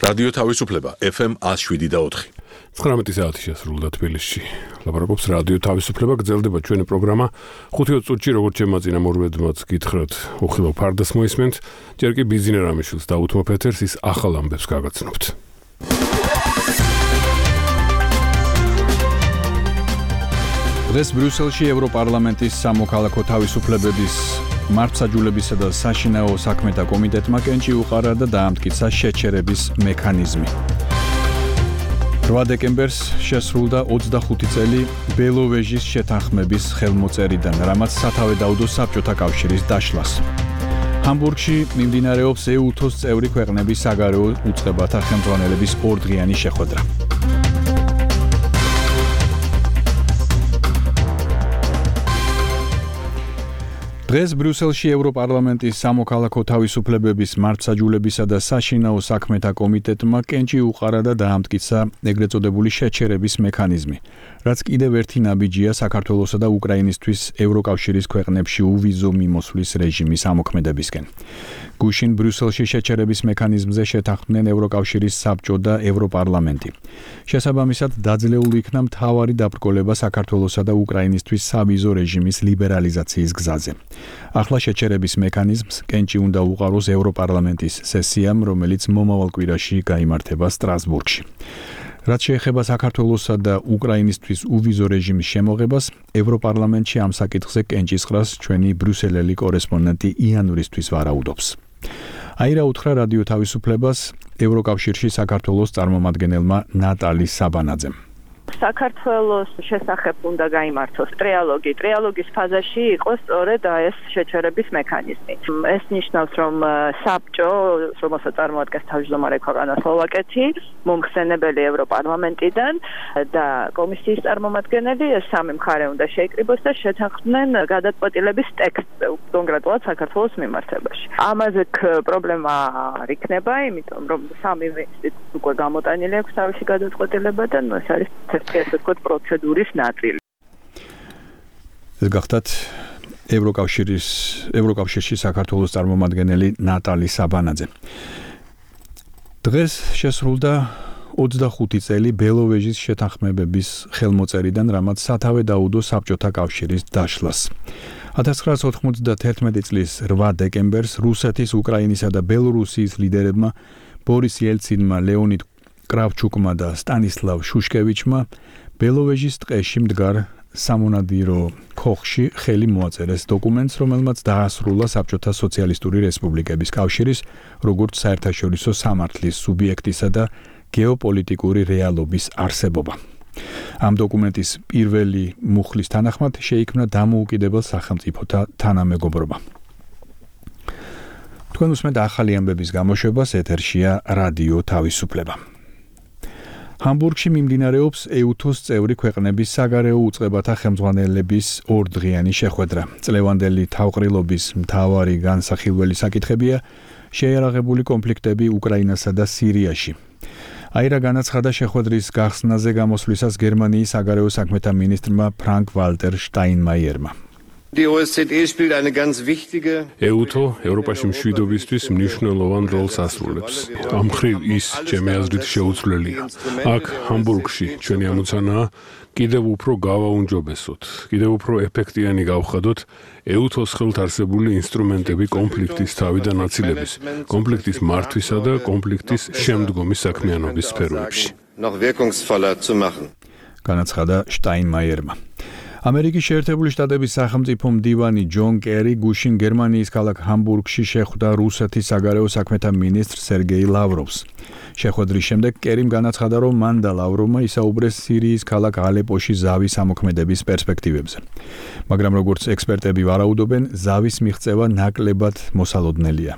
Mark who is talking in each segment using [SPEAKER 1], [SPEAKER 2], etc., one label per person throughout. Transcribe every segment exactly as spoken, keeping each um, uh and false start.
[SPEAKER 1] რადიო თავისუფლება ეფ ემ one oh seven point four.
[SPEAKER 2] ცხრამეტი საათი შესრულდა თბილისში. ლაპარაკობს რადიო თავისუფლება, გრძელდება ჩვენი პროგრამა. ხუთი წუთში როგორც შემაწინა მორვედმაც გითხრათ, უხილო ფარდას მოისმენთ, ჯერ კი ბიზნე რამიშვილს დაუთმობ ეთერს, ის ახალ ამბებს გაგაცნობთ.
[SPEAKER 3] დღეს ბრიუსელში ევროპარლამენტის სამოქალაქო თავისუფლებების მართლმსაჯულებისა და საშინაო საქმეთა კომიტეტმა კენჭი უყარა და დაამტკიცა შეჩერების მექანიზმი. რვა დეკემბერს შესრულდა ოცდახუთი წელი ბელოვეჟის შეთანხმების ხელმოწერიდან, რამაც სათავე დაუდო საბჭოთა კავშირის დაშლას. ჰამბურგში მიმდინარეობს ე უთოს წევრი ქვეყნების საგარეო უწყებათა ხელმძღვანელების ორდღიანი შეხვედრა. დღეს ბრიუსელში ევროპარლამენტის სამოქალაქო თავისუფლებების მართლმსაჯულებისა და საშინაო საქმეთა კომიტეტმა კენჭი უყარა და დაამტკიცა ეგრეთ წოდებული შეჩერების მექანიზმი, რაც კიდევ ერთი ნაბიჯია საქართველოსა და უკრაინისთვის ევროკავშირის ქვეყნებში უვიზო მიმოსვლის რეჟიმის ამოქმედებისკენ. გუშინ ბრიუსელში შეჩერების მექანიზმზე შეთანხმდნენ ევროკავშირის საბჭო და ევროპარლამენტი. შესაბამისად, დაძლეულ იქნა მთავარი დაბრკოლება საქართველოსა და უკრაინისთვის სავიზო რეჟიმის ლიბერალიზაციის გზაზე. ახლა შეჩერების მექანიზმს კენჭი უნდა უყაროს ევროპარლამენტის სესიამ, რომელიც მომავალ კვირაში გაიმართება სტრასბურგში. რაც შეეხება საქართველოსა და უკრაინისთვის უვიზო რეჟიმის შემოღებას, ევროპარლამენტში ამ საკითხზე კენჭისყრას ჩვენი ბრიუსელელი კორესპონდენტი იანურისთვის ვარაუდობს. აირა უთხრა რადიო თავისუფლებას ევროკავშირში საქართველოს წარმომადგენელმა ნატალი საბანაძემ.
[SPEAKER 4] საქართველოს შესახებ უნდა გაიმართოს ტრიალოგი. ტრიალოგის ფაზაში იყოს სწორედ ეს შეჩერების მექანიზმი. ეს ნიშნავს, რომ საბჭო, რომელსაც წარმოადგენს თავმჯდომარე ქვეყანა სლოვაკეთი, მომხსენებელი ევროპარლამენტიდან და კომისიის წარმომადგენელი, ეს სამი მხარე უნდა შეიკრიბოს და შეთანხმდნენ გადაწყვეტილების ტექსტზე, კონკრეტულად საქართველოს მიმართებაში. ამაზე პრობლემა არ იქნება, იმიტომ რომ სამი ინსტიტუტი უკვე გამოტანილი აქვს თავისი გადაწყვეტილება და ეს არის ეს ვთქვათ პროცედურის ნაწილი.
[SPEAKER 3] ეს გახდათ ევროკავშირის ევროკავშირში საქართველოს წარმომადგენელი ნატალი საბანაძე. დღეს შესრულდა ოცდახუთი წელი ბელოვეჟის შეთანხმებების ხელმოწერიდან, რამაც სათავე დაუდო საბჭოთა კავშირის დაშლას. ათას ცხრაასი ოთხმოცდათერთმეტი წლის რვა დეკემბერს რუსეთის, უკრაინისა და ბელორუსიის ლიდერებმა ბორის ელცინმა, ლეონიდ კრავჩუკმა და სტანისლავ შუშკევიჩმა ბელოვეჟის ტყეში მდგარ სამონადირო ქოხში ხელი მოაწერეს დოკუმენტს, რომელმაც დაასრულა საბჭოთა სოციალისტური რესპუბლიკების კავშირის როგორც საერთაშორისო სამართლის სუბიექტისა და გეოპოლიტიკური რეალობის არსებობა. ამ დოკუმენტის პირველი მუხლის თანახმად შეიქმნა დამოუკიდებელ სახელმწიფოთა თანამეგობრობა. თქვენ უსმენთ ახალი ამბების გამოშვებას, ეთერშია რადიო თავისუფლება. ჰამბურგში მიმდინარეობს ე უთოს წევრი ქვეყნების საგარეო უწყებათა ხელმძღვანელების ორდღიანი შეხვედრა. წლევანდელი თავყრილობის მთავარი განსახილველი საკითხებია შეიარაღებული კონფლიქტები უკრაინასა და სირიაში. აირა განაცხადა შეხვედრის გახსნაზე გამოსვლისას გერმანიის საგარეო საქმეთა მინისტრმა ფრანკ ვალტერ შტაინმაიერმა.
[SPEAKER 2] ე უთო ევროპაში მშვიდობისთვის მნიშვნელოვან როლს ასრულებს. ამ მხრივ ის, ჩემი აზრით, შეუცვლელია. აქ ჰამბურგში ჩვენი ამოცანაა კიდევ უფრო გავაუმჯობესოთ, კიდევ უფრო ეფექტიანი გავხადოთ ე უთოს ხელთ არსებული ინსტრუმენტები კონფლიქტის თავიდან აცილების, კონფლიქტის მართვისა და კონფლიქტის შემდგომი საქმიანობის სფეროებში.
[SPEAKER 3] განაცხადა შტაინმაიერმა. ამერიკის შეერთებული შტატების სახელმწიფო მდივანი ჯონ კერი გუშინ გერმანიის ქალაქ ჰამბურგში შეხვდა რუსეთის საგარეო საქმეთა მინისტრ სერგეი ლავროვს. შეხვედრის შემდეგ კერიმ განაცხადა, რომ მან და ლავროვმა ისაუბრეს სირიის ქალაქ ალეპოში ზავის ამოქმედების პერსპექტივებზე. მაგრამ როგორც ექსპერტები ვარაუდობენ, ზავის მიღწევა ნაკლებად მოსალოდნელია.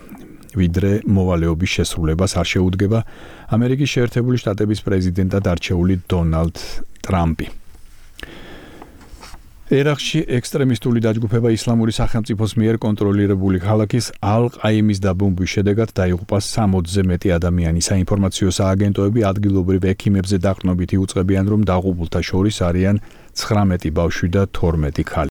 [SPEAKER 3] ვიდრე მოვალეობის შესრულებას არ შეუდგება ამერიკის შეერთებული შტატების პრეზიდენტად არჩეული დონალდ ტრამპი. ერაყში ექსტრემისტული დაჯგუფება ისლამური სახელმწიფოს მიერ კონტროლირებული ქალაქის ალ-ყაიმის დაბომბვის შედეგად დაიღუპა სამოცზე მეტი ადამიანი. საინფორმაციო სააგენტოები ადგილობრივ ექიმებზე დაყრდნობით იუწყებიან, რომ დაღუპულთა შორის არიან ცხრამეტი ბავშვი და თორმეტი ქალი.